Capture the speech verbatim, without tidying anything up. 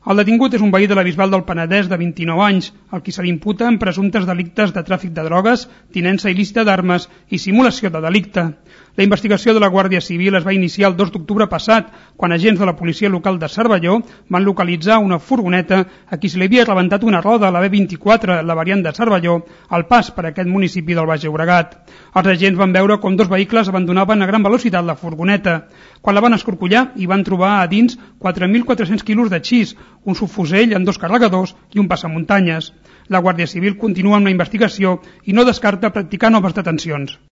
El detingut és un veí de la Bisbal del Penedès de vint-i-nou anys, al qui se li imputa en presumptes delictes de tràfic de drogues, tinença il·lícita d'armes i simulació de delicte. La investigació de la Guàrdia Civil es va iniciar el dos d'octubre passat, quan agents de la policia local de Cervelló van localitzar una furgoneta a qui se li havia rebentat una roda a la B vint-i-quatre, la variant de Cervelló, al pas per aquest municipi del Baix Llobregat. Els agents van veure com dos vehicles abandonaven a gran velocitat la furgoneta. Quan la van escorcollar, hi van trobar a dins quatre mil quatre-cents quilos de xis, un subfusell amb dos carregadors i un passamuntanyes. La Guàrdia Civil continua amb la investigació i no descarta practicar noves detencions.